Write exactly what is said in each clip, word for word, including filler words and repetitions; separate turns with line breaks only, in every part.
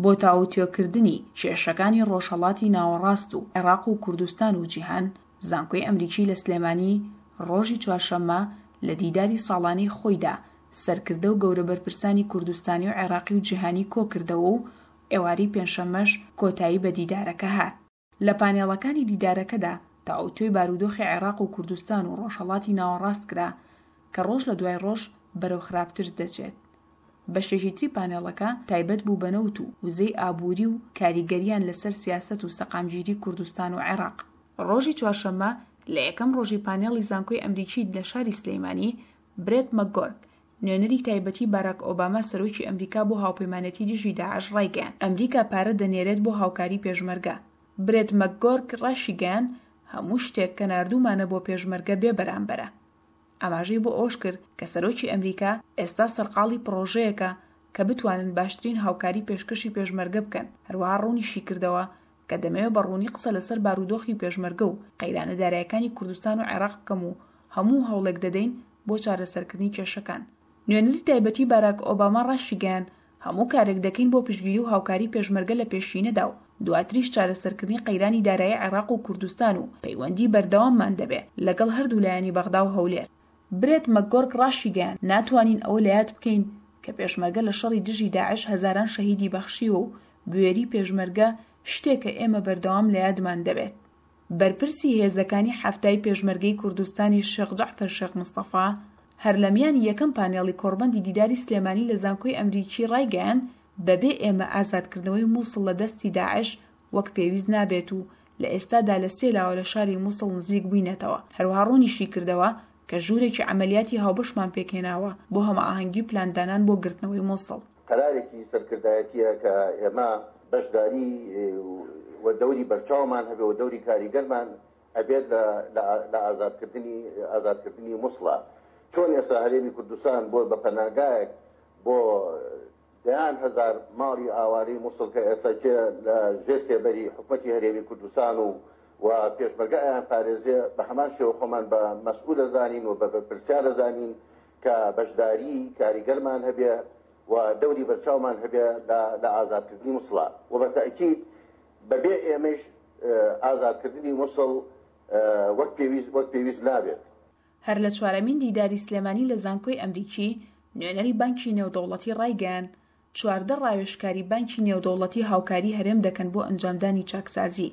بۆ تاوتوێکردنی کێشەکانی ڕۆژهەڵاتی ناوەڕاست و عێراق و کوردستان و جیهان، زانکۆی ئەمریکی لە سلێمانی ڕۆژی چوارشەممە لە دیداری ساڵانەی خۆیدا سەرکردە و گەورە بەرپرسانی کوردستانی و عێراقی و جیهانی کۆکردەوە و ئێوارەی پێنجشەممەش کۆتایی بە دیدارەکە هات. لە پانێڵەکانی دیدارەکەدا تاوتوێی بارودۆخی عێراق و کوردستان و ڕۆژهەڵاتی ناوەڕاست کرا کە ڕۆژ لە دوای ڕۆژ بەرەو خراپتر دەچێت. بەشێکی تری پانێڵەکە تایبەت بوو بە نەوت و وزەی ئابووری و کاریگەریان لەسەر سیاسەت و سەقامگیری کوردستان و عێراق. ڕۆژی چوارشەممە لە یەکەم ڕۆژی پانێڵی زانکۆی ئەمریکی لە شاری سلەیمانی، برێت مەکگۆرک، نوێنەری تایبەتی باراک ئۆباما سەرۆکی ئەمریکا بۆ هاوپەیمانێتی دژی داعش ڕایگەیاند، ئەمریکا پارە دەنێرێت بۆ هاوکاری پێشمەرگە. برێت مەکگۆرک ڕاشیگەیاند، هەموو شتێک کە ناردوومانە بۆ پێشمەرگە بێ بەرامبەرە. ئاماژەی بۆ ئەوەش کرد کە سەرۆکی ئەمریکا ئێستا سەرقاڵی پڕۆژەیەکە کە بتوانن باشترین هاوکاری پێشکەشی پێشمەرگە بکەن، هەروەها ڕوونیشی کردەوە کە دەمەوێت بە ڕوونی قسە لەسەر بارودۆخی پێشمەرگە و قەیرانە دارایەکانی کوردستان و عێراق بکەم و هەموو هەوڵێک دەدەین بۆ چارەسەرکردنی کێشەکان. نوێنەری تایبەتی باراک ئۆباما ڕاشیگەیاند، هەموو کارێک دەکەین بۆ پشتگیری و هاوکاری پێشمەرگە لە پێشینەدا و دواتریش چارەسەرکردنی قەیرانی دارایی عێراق و کوردستان و پەیوەندی بەردەواممان دەبێ لەگەڵ هەردوو لایەنی بەغدا و هەولێر. برێت مەکگۆرک ڕاشیگەیاند، ناتوانین ئەوە لەیاد بکەین کە پێشمەرگە لە شەڕی دژی داعش هەزاران شەهیدی بەخشیوە و بوێری پێشمەرگە شتێکە ئێمە بەردەوام لەیادمان دەبێت. بەرپرسی هێزەکانی حەفتای پێشمەرگەی کوردستانی شێخ جەعفەر شێخ مستەفا هەر لە میانی یەکەم پانێڵی کۆڕبەندی دیداری سلێمانی لە زانکۆی ئەمریکی ڕایگەیاند، بەبێ ئێمە ئازادکردنەوەی موسڵ لە دەستی داعش وەک پێویست نابێت و لە ئێستادا لە سێ لاوە لە شاری موسڵ نزیک بووینەتەوە. هەروەها ڕوونیشی کردەوە کە ژوورێکی عەمەلیاتی هاوبەشمان پێکهێناوە بۆ هەماهەنگی و پلاندانان بۆ گرتنەوەی موسڵ.
قەرارێکی سەرکردایەتییە کە ئێمە بەشداری و دەوری بەرچاومان هەبێ و دەوری کاریگەرمان ئەبێت لە ئازادکردنی ئازادکردنی موسڵە. چۆن ئێستا هەرێمی کوردستان بۆ بە پەناگایەک بۆ دەیان هەزار ماڵی ئاوارەی موسڵ کە ئێستا کێ لە ژێر سێبەری حکومەتی هەرێمی کوردستان و و پێشمەرگە ئەیان پارێزێ، بە هەمان شێوە خۆمان بە مەسئول ئەزانین و بە بەرپرسیار ئەزانین کە بەشداری کاریگەرمان هەبێ و دەوری بەرچاومان هەبێ لە ئازادکردنی موسڵە و بە تەئکید بەبێ ئێمەیش ئازادکردنی موسڵ وەک پێویست وەک پێویست نابێت.
هەر لە چوارەمین دیداری سلێمانی لە زانکۆی ئەمریکی، نوێنەری بانکی نێودەوڵەتی ڕایگەیاند، چواردە ڕاوێژکاری بانکی نێودەوڵەتی هاوکاری هەرێم دەکەن بۆ ئەنجامدانی چاکسازی.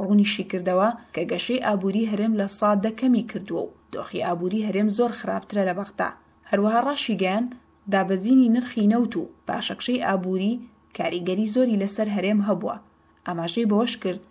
ڕوونیشیکردەوە کە گەشەی ئابووری هەرێم لە سا دە کەمی کردووە و دۆخی ئابووری هەرێم زۆر خراپترە لە بەغدا. هەروەها ڕاشیگەیاند، دابەزینی نرخی نەوت و پاشەکشەی ئابووری کاریگەری زۆری لەسەر هەرێم هەبووە. ئاماژەی بەوەشکرد،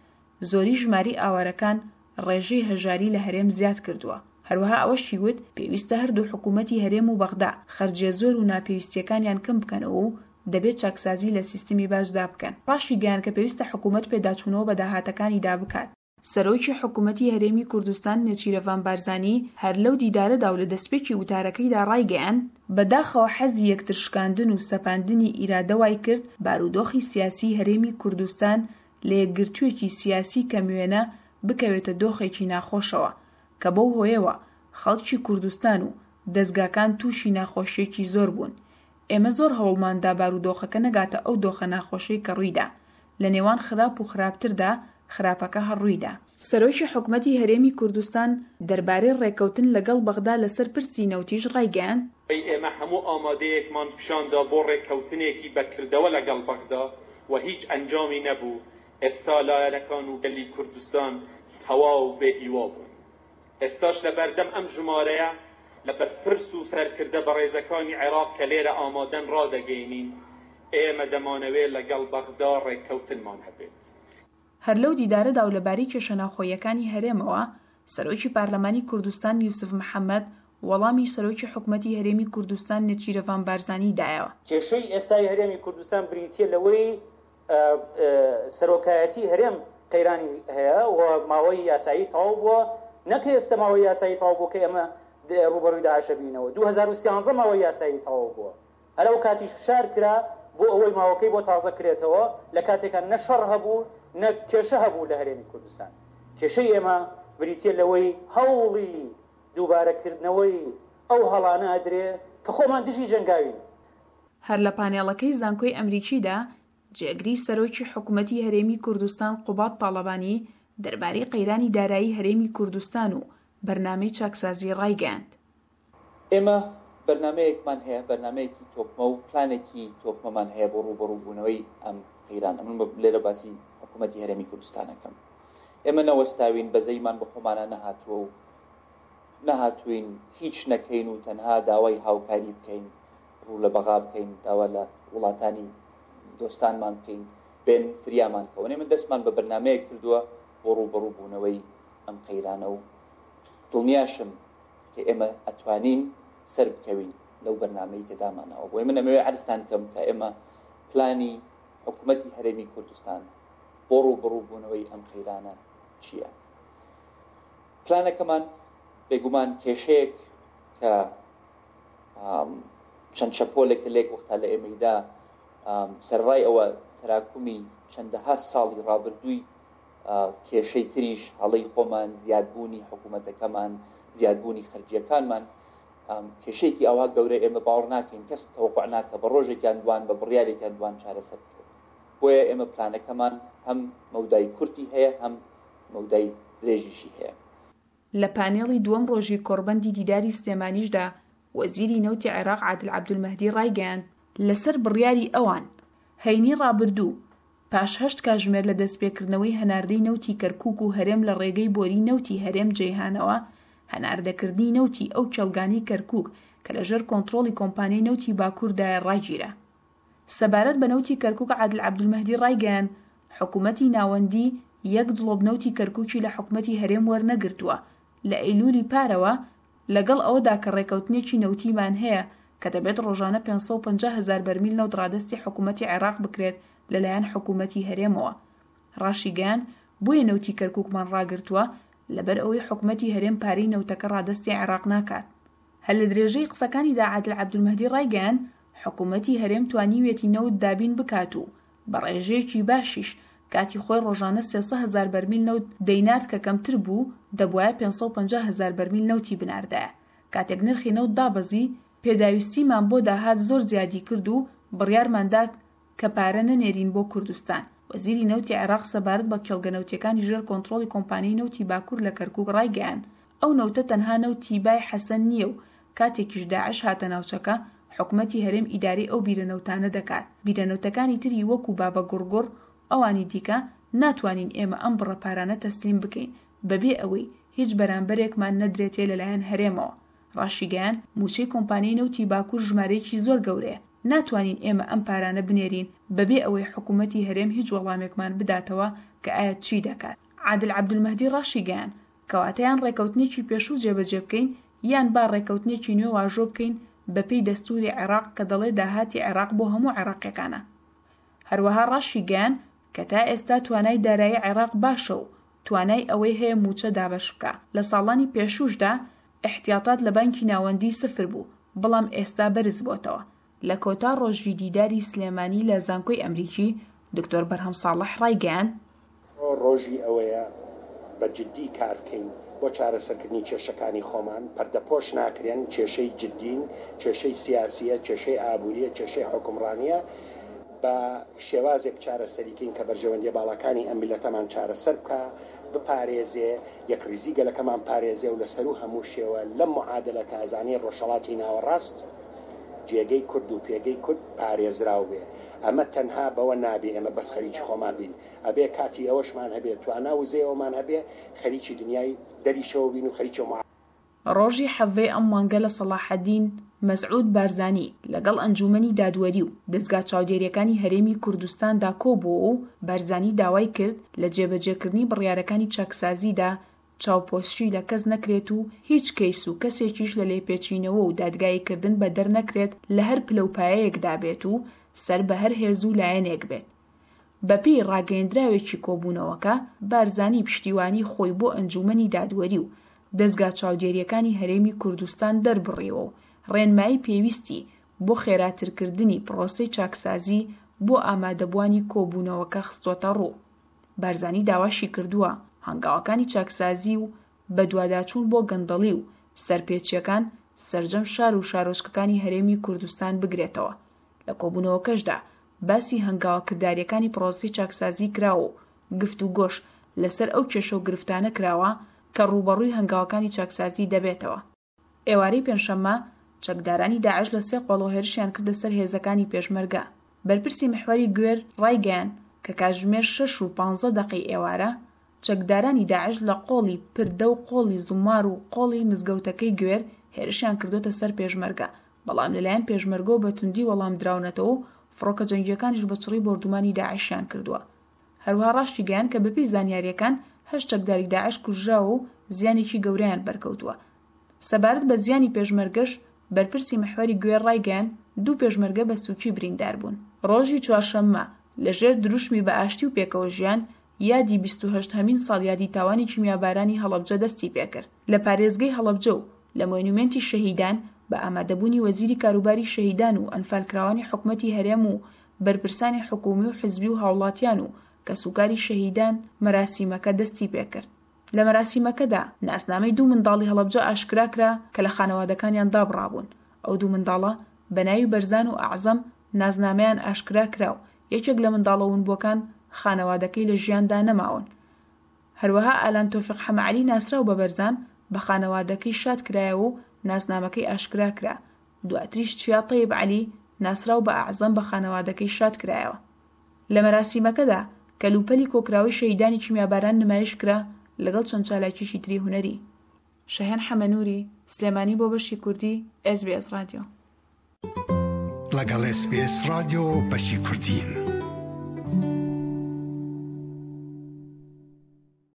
زۆری ژماری ئاوارەکان ڕێژەی هەژاری لە هەرێم زیاد کردووە. هەروەها ئەوەشی وت، پێویستە هەردوو حکوومەتی هەرێم و بەغدا خەرجیە زۆر و ناپێویستیەکانیان کەم بکەنەوە و دەبێت چاکسازی لە سیستمی باجدا بکەن. ڕاشیگەیاند کە پێویستە حکوومەت پێداچوونەوە بە داهاتەکانیدا بکات. سەرۆکی حکوومەتی هەرێمی کوردستان نێچیرەڤان بارزانی هەر لەو دیدارەدا و لە دەستپێکی وتارەکەیدا ڕایگەیاند، بەداخەوە حەزی یەکتر شکاندن و سەپاندنی ئیرادە وای کرد بارودۆخی سیاسیی هەرێمی کوردستان لە یەکگرتوویەکی سیاسی کەموێنە بکەوێتە دۆخێکی ناخۆشەوە کە بەو هۆیەوە خەڵکی کوردستان و دەزگاکان تووشی ناخۆشیەکی زۆر بوون. ئێمە زۆر هەوڵماندا بارودۆخەکە نەگاتە ئەو دۆخە ناخۆشەی کە ڕوویدا. لە نێوان خراپ و خراپتردا خراپەکە هەر ڕوویدا. سەرۆکی حکومەتی هەرێمی کوردستان دەربارەی ڕێککەوتن لەگەڵ بەغدا لەسەر پرسی نەوتیش ڕایگەیاند،
ئێمە هەموو ئامادەیەکمان پیشاندا بۆ ڕێککەوتنێکی بەکردەوە لەگەڵ بەغدا و هیچ ئەنجامی نەبوو. ئێستا لایەنەکان و گەلی کوردستان تەواو بێهیوا بوون. ئێستاش لەبەردەم ئەم ژمارەیە لە بەرپرس و سەرکردە بەڕێزەکانی عێراق کە لێرە ئامادەن ڕادەگەینین، ئێمە دەمانەوێت لەگەڵ بەغدا ڕێککەوتنمان هەبێت.
هەر لەو دیدارەدا و لەبارەی کێشە ناوخۆییەکانی هەرێمەوە، سەرۆکی پارلەمانی کوردستان یوسف محەمەد وەڵامی سەرۆکی حکومەتی هەرێمی کوردستان نێچیرەڤان بارزانی دایەوە.
کێشەی ئێستای هەرێمی کوردستان بریتییە لەوەی سەرۆکایەتی هەرێم قەیرانی هەیە و ماوەی یاسایی تەواو بووە، نەک ئێستا ماوەی یاسایی تەواو بووە کە ئێمە ڕووبەڕووی داعشە بینەوە، دوو هەزار و سیانزە ماوەی یاسایی تەواو بووە، هەر ئەو کاتیش فشار کرا بۆ ئەوەی ماوەکەی بۆ تازە کرێتەوە، لە کاتێکا نە شەڕ هەبوو نە کێشە هەبوو لە هەرێمی کوردستان. کێشەی ئێمە بریتییە لەوەی هەوڵی دووبارەکردنەوەی ئەو هەڵانە ئەدرێ کە خۆمان دژی جەنگاوین.
هەر لە پانێڵەکەی زانکۆی ئەمریکیدا جێگری سەرۆکی حکومەتی هەرێمی کوردستان قوباد تاڵەبانی دەربارەی قەیرانی دارایی هەرێمی کوردستان و بەرنامەی چاکسازی ڕایگەیاند.
ئێمە بەرنامەیەکمان هەیە، بەرنامەیەکی تۆکمە و پلانێکی تۆکمەمان هەیە بۆ ڕووبەڕووبوونەوەی ئەم قەیرانە. من لێرە باسی حکوومەتی هەرێمی کوردستانەکەم. ئێمە نەوەستاوین، بەزەیمان بە خۆمانە نەهاتووە و نەهاتوین هیچ نەکەین و تەنها داوای هاوکاری بکەین، ڕوو لە بەغا بکەین، داوا لە وڵاتانی دۆستانمان بکەین بێن فریامان کەون. ئێمە دەستمان بە بەرنامەیەک کردووە بۆ ڕووبەڕووبوونەوەی ئەم قەیرانە و دڵنیاشم کە ئێمە ئەتوانین سەر بکەوین لەو بەرنامەی کە دامانەوە. بۆیە من ئەمەوێ عەرزتان کەم کە ئێمە پلانی حکوومەتی هەرێمی کوردستان بۆ ڕووبەڕووبوونەوەی ئەم قەیرانە چییە؟ پلانەکەمان بێگومان کێشەیەک کە چەند شەپۆلێک لێک وەختا لە ئێمەیدا سەرڕای ئەوە تەراکومی چەندەها ساڵی ڕابردووی کێشەی تریش، هەڵەی خۆمان، زیادبوونی حکوومەتەکەمان، زیادبوونی خەرجیەکانمان، کێشەیەکی ئەوها گەورە ئێمە باوەڕ ناکەین، کەس تەوەقع ناکە بە ڕۆژێکیان دوان، بە بڕیارێکیان دوان چارەسەر بکرێت. بۆیە ئێمە پلانەکەمان هەم مەودای کورتی هەیە، هەم مەودای درێژیشی هەیە.
لە پانێڵی دووەم ڕۆژی کۆڕبەندی دیداری سلێمانیشدا وەزیری نەوتی عێراق عادل عەبدولمەهدی ڕایگەیاند، لەسەر بڕیاری ئەوان هەینی ڕابردوو پاش هەشت کاژمێر لە دەستپێکردنەوەی هەناردەی نەوتی کەرکوک و هەرێم لە ڕێگەی بۆری نەوتی هەرێم جەیهانەوە، هەناردەکردنی نەوتی ئەو کێڵگانەی کەرکوک کە لەژێر کۆنترۆڵی کۆمپانیای نەوتی باکووردایە ڕاگیرا. سەبارەت بە نەوتی کەرکوک عادل عەبدولمەهدی ڕایگەیاند، حکوومەتی ناوەندی یەک دڵۆپ نەوتی کەرکوکی لە حکوومەتی هەرێم وەرنەگرتووە لە ئەیلولی پارەوە، لەگەڵ ئەوەدا کە ڕێکەوتنێکی نەوتیمان هەیە کە دەبێت ڕۆژانە پێنج سەد و پەنجا هەزار بەرمیل نەوت ڕادەستی حکوومەتی عێراق بکرێت لەلایەن حکوومەتی هەرێمەوە. ڕاشیگەیان بۆیە نەوتی کەرکوکمان ڕاگرتووە لەبەر ئەوەی حکوومەتی هەرێم پارەی نەوتەکە ڕادەستی عێراق ناکات. هەر لە درێژەی قسەکانیدا عادل عەبدولمەهدی ڕایگەیان، حکوومەتی هەرێم توانیویەتی نەوت دابین بکات و بە ڕێژەیەکی باشیش کاتی خۆی ڕۆژانە سێ سەد هەزار بەرمیل نەوت دەینارد کە کەمتر بوو، دەبوایە پێنج سەد و پەنجا هەزار بەرمیل نەوتی بناردایە. کاتێک نرخی نەوت دابەزی، پێداویستیمان بۆ داهات زۆر زیادی کرد و بڕیارماندا کە پارە نەنێرین بۆ کوردستان. وەزیری نەوتی عێراق سەبارەت بە کێڵگە نەوتیەکانی ژێر کۆنترۆڵی کۆمپانیای نەوتی باکوور لە کەرکوک ڕایگەیان، ئەو نەوتە تەنها نەوتی بای حەسەن نییە و کاتێکیش داعش هاتە ناوچەکە حکومەتی هەرێم ئیدارەی ئەو بیرە نەوتانە دەکات. بیرە نەوتەکانی تری وەکو بابە گوڕگوڕ ئەوانی دیکە ناتوانین ئێمە ئەم بڕە پارانە تەسلیم بکەین بەبێ ئەوەی هیچ بەرامبەرێکمان نەدرێتێ لەلایەن هەرێمەوە. ڕاشیگەیان موچەی کۆمپانیای نەوتی باکوور ژمارەیەکی زۆر گەورەیە، ناتوانین ئێمە ئەم پارانە بنێرین بەبێ ئەوەی حکوومەتی هەرێم هیچ وەڵامێکمان بداتەوە کە ئایا چی دەکات. عادل عەبدولمەهدی ڕاشیگەیان کەواتەیان ڕێکەوتنێکی پێشوو جێبەجێ بکەین یان با ڕێکەوتنێکی نوێ واژۆ بکەین بەپێی دەستوری عێراق کە دەڵێ داهاتی عێراق بۆ هەموو عێراقیەکانە. هەروەها ڕاشیگەیان کە تا ئێستا توانای دارایی عێراق باشە و توانای ئەوەی هەیە موچە دابەش بکە. لە ساڵانی پێشووشدا احتیاطات لە بانکی ناوەندی سفر بوو، بەڵام ئێستا بەرز بۆتەوە. لە کۆتا ڕۆژی دیداری سلێمانی لە زانکۆی ئەمریکی، دکتۆر بەرهەم ساڵح ڕایگەیان،
ڕۆژی ئەوەیە بە جدی کار بکەین بۆ چارەسەرکردنی کێشەکانی خۆمان، پەردەپۆش ناکرێن، کێشەی جدین، کێشەی سیاسیە، کێشەی ئابووریە، کێشەی حکومڕانیە، بە شێوازێک چارەسەریکەین کە بەرژەوەندیە باڵاکانی ئەم میللەتەمان چارەسەر بکە، بپارێزێ، یەکڕیزی گەلەکەمان پارێزێ و لەسەر و هەموو شێوە لەم معادلە تازانەی ڕۆژهەڵاتی ناوەڕاست جێگەی کورد و پێگەی کورد پارێزراو بێ. ئەمە تەنها بەوە نابێ ئێمە بەس خەریکی خۆمان بین، ئەبێ کاتی ئەوەشمان هەبێ، توانا وزەیەوەمان هەبێ، خەریکی دنیای دەریشەوە بین و خەریکی ئەو
ڕۆژی حەڤەی ئەم مانگە لە سەڵاحەدین مەسعود بارزانی لەگەڵ ئەنجومەنی دادوەری و دەزگا چاودێریەکانی هەرێمی کوردستاندا کۆبووەوە و بارزانی داوای کرد لە جێبەجێکردنی بڕیارەکانی چاکسازیدا چاوپۆشی لە کەس نەکرێت و هیچ کەیس و کەسێکیش لە لێپێچینەوە و دادگاییکردن بەدەر نەکرێت لە هەر پلە و پایەیەکدا بێت و سەر بە هەر هێز و لایەنێک بێت. بەپێی ڕاگەیەندراوێکی کۆبوونەوەکە، بارزانی پشتیوانی خۆی بۆ ئەنجومەنی دادوەری و دەزگا چاودێریەکانی هەرێمی کوردستان دەربڕیوە و ڕێنمایی پێویستی بۆ خێراترکردنی پرۆسەی چاکسازی بۆ ئامادەبووانی کۆبوونەوەکە خستۆتە ڕوو. بارزانی داواشی کردووە هەنگاوەکانی چاکسازی و بەدواداچوون بۆ گەندەڵی و سەرپێچیەکان سەرجەم شار و شارۆچکەکانی هەرێمی کوردستان بگرێتەوە. لە کۆبوونەوەکەشدا باسی هەنگاوە کردارییەکانی پرۆسەی چاکسازی کراوە و گفتوگۆش لەسەر ئەو کێشە و گرفتانە کراوە کە ڕووبەڕووی هەنگاوەکانی چاکسازی دەبێتەوە. ئێوارەی پێنجشەممە، چەکدارانی داعش لە سێ قۆڵەوە هێرشیان کردە سەر هێزەکانی پێشمەرگە. بەرپرسی محوەری گوێر ڕایگەیاند کە کاتژمێر شەش و پانزە دەقەی ئێوارە، چەکدارانی داعش لە قۆڵی پردە و قۆڵی زومار و قۆڵی مزگەوتەکەی گوێر هێرشیان کردۆتە سەر پێشمەرگە، بەڵام لەلایەن پێشمەرگەوە بە توندی وەڵام دراونەتەوە و فڕۆکە جەنگییەکانیش بە چڕی بۆردومانی داعشیان کردووە. هەروەها ڕاشیگەیاند کە بەپێی زانیارییەکان هەشت چەکداری داعش کوژراوە و زیانێکی گەورەیان بەرکەوتووە. سەبارەت بە زیانی پێشمەرگەش، بەرپرسی محوەری گوێر ڕایگەیاند، دوو پێشمەرگە بە سووکی بریندار بوون. ڕۆژی چوارشەممە، لەژێر دروشمی بە ئاشتی و پێکەوە ژیان، یادی بیست و هەشت هەمین ساڵیادی تاوانی کیمیابارانی هەڵەبجە دەستی پێکرد. لە پارێزگەی هەڵەبجە و لە مۆنومێنتی شەهیدان بە ئامادەبوونی وەزیری کاروباری شەهیدان و ئەنفالکراوانی حکومەتی هەرێم و بەرپرسانی حکومی و حزبی و هاوڵاتیان و کەسوکاری شەهیدان مەراسیمەکە دەستی پێکرد. لە مەراسیمەکەدا ناسنامەی دوو منداڵی هەڵەبجە ئاشکرا کرا کە لە خانەوادەکانیان دابڕابوون. ئەو دوو منداڵە بە ناوی بەرزان و ئەعزەم نازنامەیان ئاشکرا کرا و یەکێک لە منداڵە ونبووەکان خانەوادەکەی لە ژیاندا نەماون. هەروەها ئالان تۆفیق حەمەعەلی ناسراو بە بەرزان بە خانەوادەکەی شاد کرایەوە و ناسنامەکەی ئاشکرا کرا. دواتریش چیا تەیب عەلی ناسراو بە ئەعزەم بە خانەوادەکەی شاد کرایەوە. لە مەراسیمەکەدا کەلوپەلی کۆکراوەی شەهیدانی کیمیاباران نمایش کرا لەگەڵ چەند چالاکیەکی تری هونەری. شەهێن حەمەنوری، سلێمانی بۆ بەشی کوردی ئێس بی ئێس ڕادیۆ.
لەگەڵ ئێس بی ئێس ڕادیۆ بەشی کوردین.